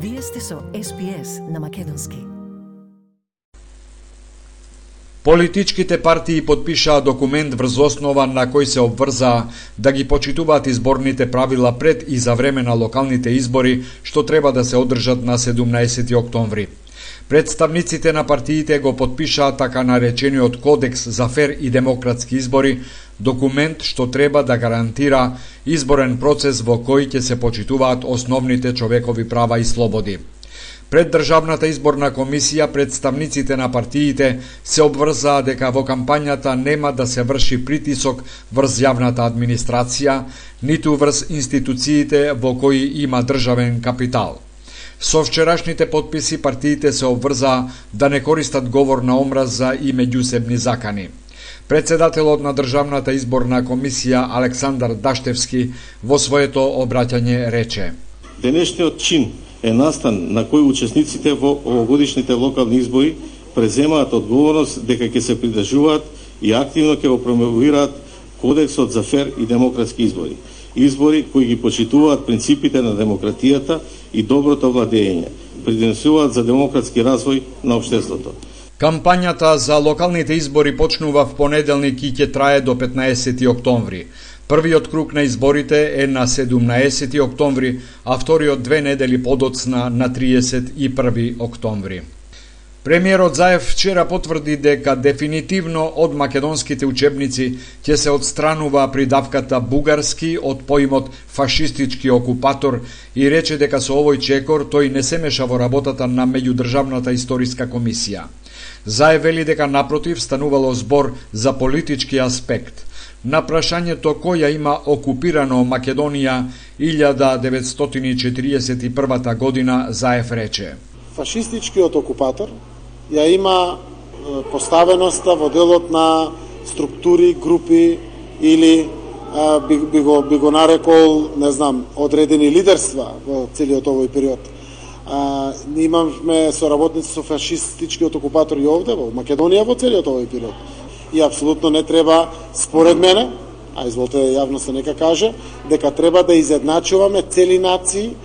Вие сте со SPS на македонски. Политичките партии потпишаа документ врз основа на кој се обврзаа да ги почитуваат изборните правила пред и за време на локалните избори, што треба да се одржат на 17 октомври. Представниците на партиите го потпишаа така наречениот Кодекс за фер и демократски избори, документ што треба да гарантира изборен процес во кој ќе се почитуваат основните човекови права и слободи. Пред Државната изборна комисија представниците на партиите се обврзаа дека во кампањата нема да се врши притисок врз јавната администрација, ниту врз институциите во кои има државен капитал. Со вчерашните потписи партиите се обврзаа да не користат говор на омраза и меѓусебни закани. Председателот на Државната изборна комисија Александар Даштевски во своето обраќање рече: Денешниот чин е настан на кој учесниците во овогодишните локални избори преземаат одговорност дека ќе се придржуваат и активно ќе го промовираат Кодексот за фер и демократски избори. Избори кои ги почитуваат принципите на демократијата и доброто владење, придонесуваат за демократски развој на општеството. Кампањата за локалните избори почнува в понеделник и ќе трае до 15 октомври. Првиот круг на изборите е на 17 октомври, а вториот 2 недели подоцна на 31 октомври. Премиерот Заев вчера потврди дека дефинитивно од македонските учебници ќе се отстранува придавката бугарски од поимот фашистички окупатор и рече дека со овој чекор тој не се меша во работата на меѓудржавната историска комисија. Заев вели дека напротив станувало збор за политички аспект. На прашањето која има окупирано Македонија 1941 година, Заев рече: Фашистичкиот окупатор ја има поставеноста во делот на структури, групи или би го нарекол, не знам, одредени лидерства во целиот овој период. Имаме соработници со фашистичкиот окупатор и овде во Македонија во целиот овој период. И апсолутно не треба, според мене, а изволте јавноста нека каже, дека треба да изедначуваме цели нации,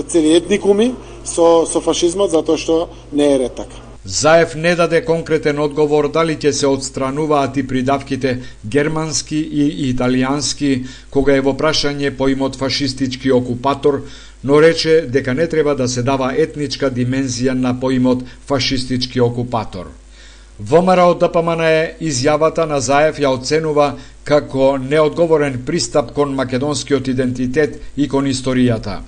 цели етникуми со фашизмот, затоа што не е ред така. Заев не даде конкретен одговор дали ќе се отстрануваат и придавките германски и италијански, кога е во прашање поимот фашистички окупатор, но рече дека не треба да се дава етничка димензија на поимот фашистички окупатор. ВМРО ДПМН изјавата на Заев ја оценува како неодговорен пристап кон македонскиот идентитет и кон историјата.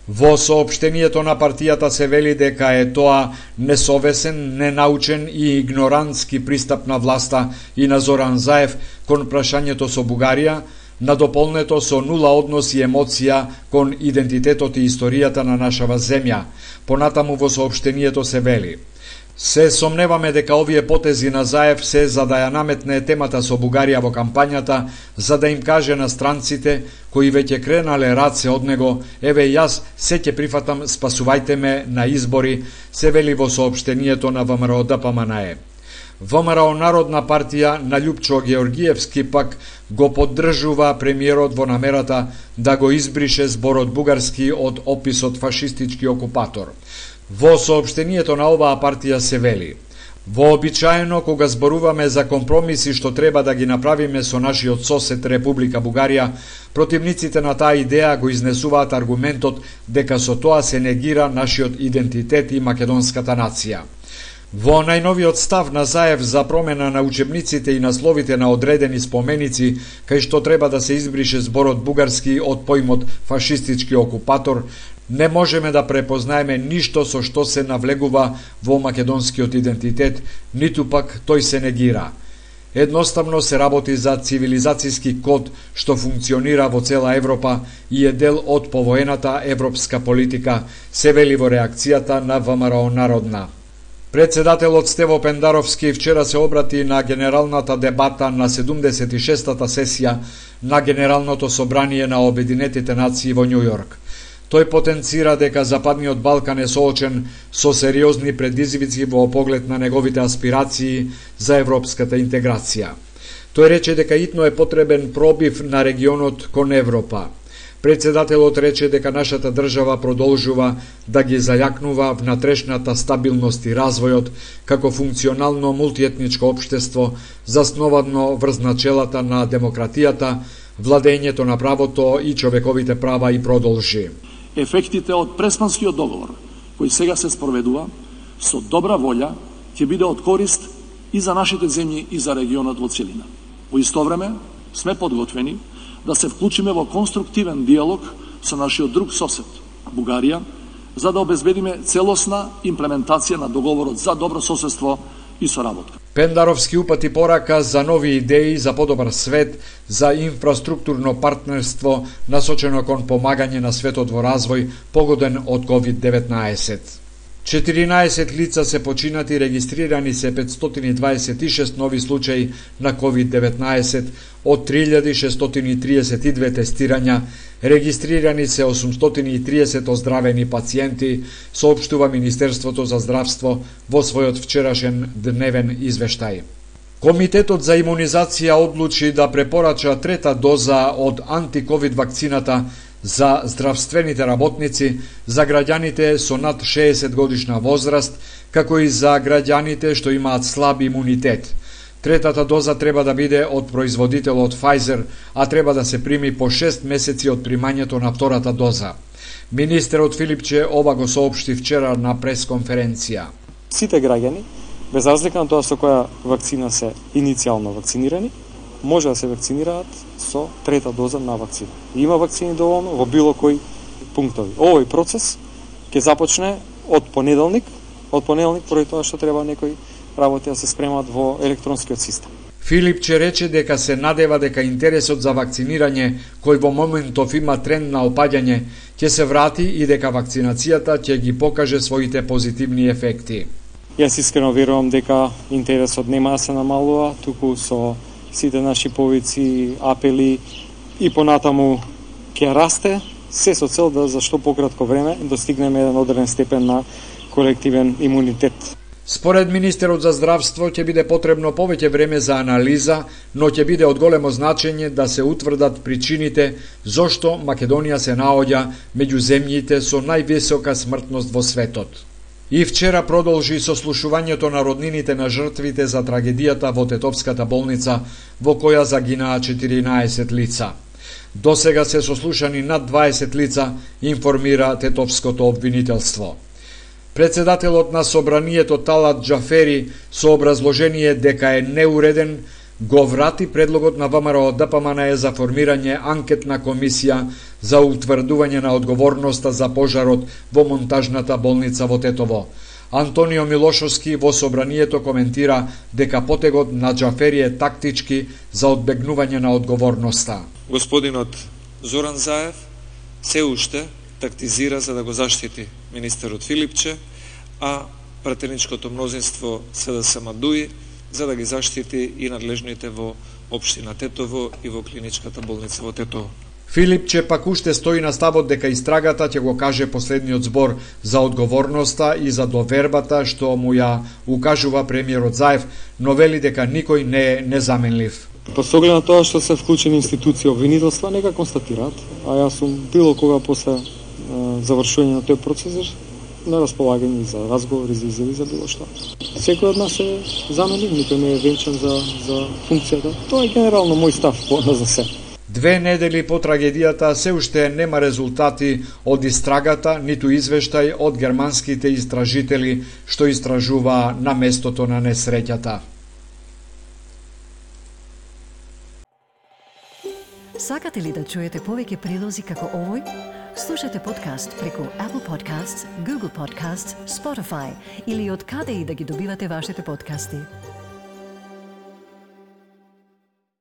Во соопштението на партијата се вели дека е тоа несовесен, ненаучен и игнорантски пристап на власта и на Зоран Заев кон прашањето со Бугарија, надополнето со нула однос и емоција кон идентитетот и историјата на нашава земја. Понатаму во соопштението се вели: се сомневаме дека овие потези на Заев се за да ја наметне темата со Бугарија во кампањата, за да им каже на странците кои веќе кренале раце од него: еве јас се ќе прифатам, спасувајте ме на избори, се вели во соопштението на ВМРО ДПМН. ВМРО Народна партија на Љупчо Георгиевски пак го поддржува премиерот во намерата да го избрише зборот бугарски од описот фашистички окупатор. Во соопштението на оваа партија се вели: вообичаено кога зборуваме за компромиси што треба да ги направиме со нашиот сосед Република Бугарија, противниците на таа идеја го изнесуваат аргументот дека со тоа се негира нашиот идентитет и македонската нација. Во најновиот став на Заев за промена на учебниците и насловите на одредени споменици, кај што треба да се избрише зборот бугарски од поимот фашистички окупатор, не можеме да препознаеме ништо со што се навлегува во македонскиот идентитет, ниту пак тој се негира. Едноставно се работи за цивилизацијски код што функционира во цела Европа и е дел од повоената европска политика, се вели во реакцијата на ВМРО Народна. Председателот Стево Пендаровски вчера се обрати на генералната дебата на 76-та сесија на Генералното собрание на Обединетите нации во Њу Јорк. Тој потенцира дека Западниот Балкан е соочен со сериозни предизвици во поглед на неговите аспирации за европската интеграција. Тој рече дека итно е потребен пробив на регионот кон Европа. Председателот рече дека нашата држава продолжува да ги зајакнува внатрешната стабилност и развојот како функционално мултиетничко општество засновано врз начелата на демократијата, владењето на правото и човековите права и продолжи. Ефектите од Преспанскиот договор, кој сега се спроведува, со добра волја ќе биде од корист и за нашите земји и за регионот во целина. Во исто време сме подготвени да се вклучиме во конструктивен диалог со нашиот друг сосед, Бугарија, за да обезбедиме целосна имплементација на договорот за добро соседство и соработка. Пендаровски упати порака за нови идеи за подобар свет, за инфраструктурно партнерство насочено кон помагање на светот во развој погоден од COVID-19. 14 лица се починати, регистрирани се 526 нови случаи на COVID-19, од 3632 тестирања, регистрирани се 830 оздравени пациенти, соопштува Министерството за здравство во својот вчерашен дневен извештај. Комитетот за имунизација одлучи да препорача трета доза од антиковид вакцината за здравствените работници, за граѓаните со над 60 годишна возраст, како и за граѓаните што имаат слаб имунитет. Третата доза треба да биде од производителот Pfizer, а треба да се прими по 6 месеци од примањето на втората доза. Министерот Филипче ова го соопшти вчера на пресконференција. Сите граѓани, без разлика на тоа со која вакцина се иницијално вакцинирани, може да се вакцинираат со трета доза на вакцина. Има вакцини доволно во било кој пунктови. Овој процес ќе започне од понеделник поради тоа што треба некои работи да се спремат во електронскиот систем. Филипче рече дека се надева дека интересот за вакцинирање, кој во моментов има тренд на опаѓање, ќе се врати и дека вакцинацијата ќе ги покаже своите позитивни ефекти. Јас искрено верувам дека интересот нема да се намалува, туку со сите наши повици, апели и понатаму ќе расте, се со цел да за што пократко време достигнеме еден одреден степен на колективен имунитет. Според Министерот за здравство ќе биде потребно повеќе време за анализа, но ќе биде од големо значење да се утврдат причините зошто Македонија се наоѓа меѓу земјите со највисока смртност во светот. И вчера продолжи сослушувањето на роднините на жртвите за трагедијата во Тетовската болница, во која загинаа 14 лица. До сега се сослушани над 20 лица, информира Тетовското обвинителство. Председателот на Собранието Талат Џафери со образложение дека е неуреден, го врати предлогот на ВМРО ДПМНЕ за формирање анкетна комисија за утврдување на одговорноста за пожарот во монтажната болница во Тетово. Антонио Милошовски во Собранието коментира дека потегот на Џафери е тактички за одбегнување на одговорноста. Господинот Зоран Заев се уште тактизира за да го заштити министерот Филипче, а пратеничкото мнозинство СДСМ Дуи за да ги заштити и надлежните во општина Тетово и во клиничката болница во Тетово. Филипче пак уште стои на ставот дека истрагата ќе го каже последниот збор за одговорноста и за довербата што му ја укажува премиерот Заев, но вели дека никој не е незаменлив. По соглед на тоа што се вклучени институции обвинителства, нека констатираат, а јас сум било кога после завршување на тој процес на располагање за разговори, за изјави, за било што. Секој од нас е заменлив, никој не е венчан за функцијата. Тоа е генерално мој став за се. 2 недели по трагедијата се уште нема резултати од истрагата, ниту извештај од германските истражители што истражува на местото на несреќата. Сакате ли да чуете повеќе прилози како овој? Слушате подкаст преку Apple Podcasts, Google Podcasts, Spotify или од каде и да ги добивате вашите подкасти.